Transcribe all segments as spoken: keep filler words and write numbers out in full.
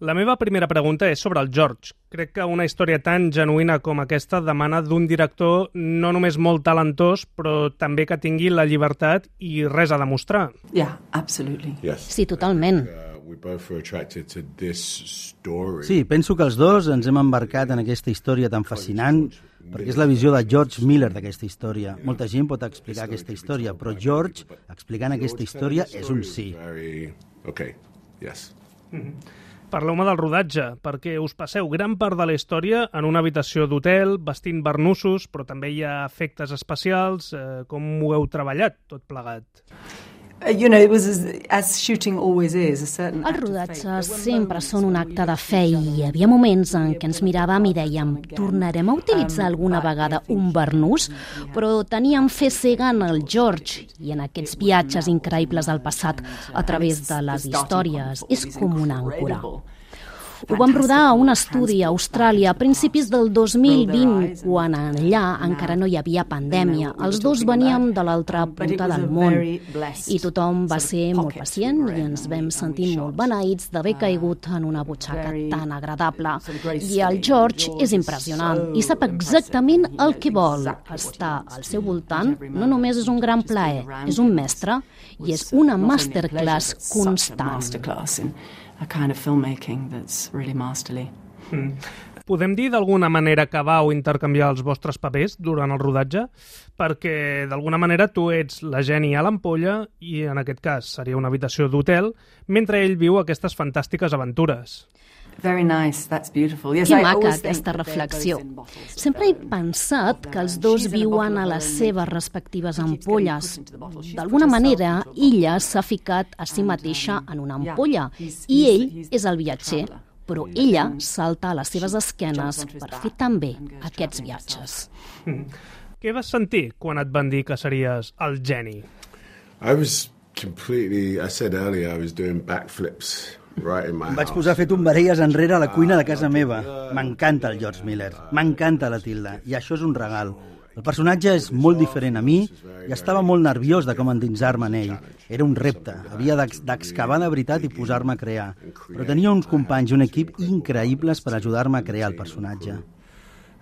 La meva primera pregunta és sobre el George. Crec que una història tan genuïna com aquesta demana d'un director no només molt talentós, però també que tingui la llibertat i res a demostrar. Yeah, absolutely. Yes. Sí, totalment. We both were attracted to this story. Sí, penso que els dos ens hem embarcat en aquesta història tan fascinant perquè és la visió de George Miller d'aquesta història. Molta gent pot explicar aquesta història, però George, explicant aquesta història, és un sí. Okay, yes. Mm-hmm. Parleu-me del rodatge, perquè us passeu gran part de la història en una habitació d'hotel, vestint barnussos, però també hi ha efectes especials. Eh, com ho heu treballat, tot plegat? You know, it was as, as shooting always is, a certain Els rodatges sempre són un acte de fe i hi havia moments en què ens miràvem i dèiem tornarem a utilitzar alguna vegada un barnús, però teníem fe cega en el George i en aquests viatges increïbles al passat a través de les històries. És com una àncora. Ho vam rodar a un estudi a Austràlia a principis del dos mil vint, quan allà encara no hi havia pandèmia. Els dos veníem de l'altra punta del món i tothom va ser molt pacient i ens vam sentir molt beneïts d'haver caigut en una butxaca tan agradable. I el George és impressionant i sap exactament el que vol. Estar al seu voltant no només és un gran plaer, és un mestre i és una masterclass constant. A kind of filmmaking that's really masterly. Mm. Podem dir d'alguna manera que vau intercanviar els vostres papers durant el rodatge? Perquè d'alguna manera tu ets la Jenny a l'ampolla i en aquest cas seria una habitació d'hotel, mentre ell viu aquestes fantàstiques aventures. Very nice, that's beautiful. Yes, que I maca always aquesta think reflexió. they're both in bottles. Sempre he pensat que els dos viuen a les seves respectives ampolles. D'alguna manera, ella s'ha ficat a si mateixa en una ampolla i ell és el viatger, però ella salta a les seves esquenes per fer també aquests viatges. Mm. Què vas sentir quan et van dir que series el geni? I was completely, I said earlier, I was doing backflips. Right in my Em vaig house. posar a fer tombarelles enrere a la cuina de casa meva. M'encanta el George Miller, m'encanta la Tilda, i això és un regal. El personatge és molt diferent a mi i estava molt nerviós de com endinsar-me en ell. Era un repte, havia d'excavar de veritat i posar-me a crear. Però tenia uns companys i un equip increïbles per ajudar-me a crear el personatge.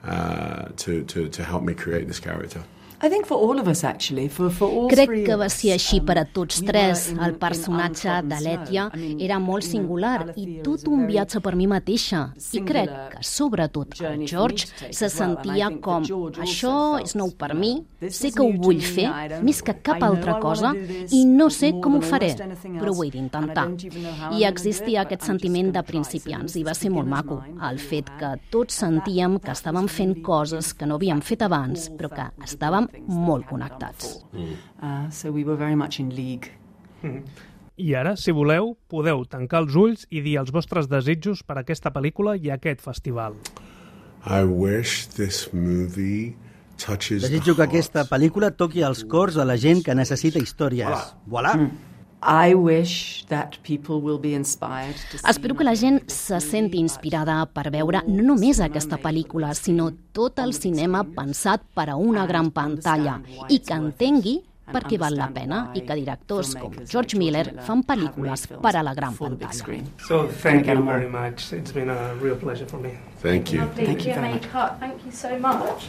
Uh, to, to, to help me create this character. I think for all of us, actually, for, for all Crec three que of va us, ser així um, per a tots we tres. were in- El in personatge untrodden de l'Ètia snow. I mean, era molt you know, singular i Alethea tot was a un very viatge per mi mateixa. I crec singular que, sobretot, el journey for George me to take se as well. And I sentia think com that George also això felt, és nou per you mi, know, this sé is que ho new to vull me, fer, I don't- més que cap I know altra I wanna cosa, do this i no sé more com ho than faré, almost anything però ho else, he d'intentar. and I don't even know how I'm I gonna existia do it, aquest but I'm just sentiment de gonna try. So principiants this i va is ser molt beginner's maco, mind, el fet que and tots that- sentíem que that estàvem was fent really coses que no havíem fet abans, all però que felt we were estàvem doing things that molt we hadn't done connectats. before. Uh, so we were very much in league. Mm. I ara, si voleu, podeu tancar els ulls i dir els vostres desitjos per a aquesta pel·lícula i aquest festival. I wish this movie touches Desitjo the que aquesta hearts. pel·lícula toqui els cors de la gent que necessita històries. Voilà! I wish that people will be inspired to see Espero que la gent se senti inspirada per veure no només aquesta pel·lícula, sinó tot el cinema pensat per a una gran pantalla i que entengui per què val la pena i que directors com George Miller fan pel·lícules per a la gran pantalla. So, thank you very much. It's been a real pleasure for me. Thank you. Thank you very much. Thank you so much.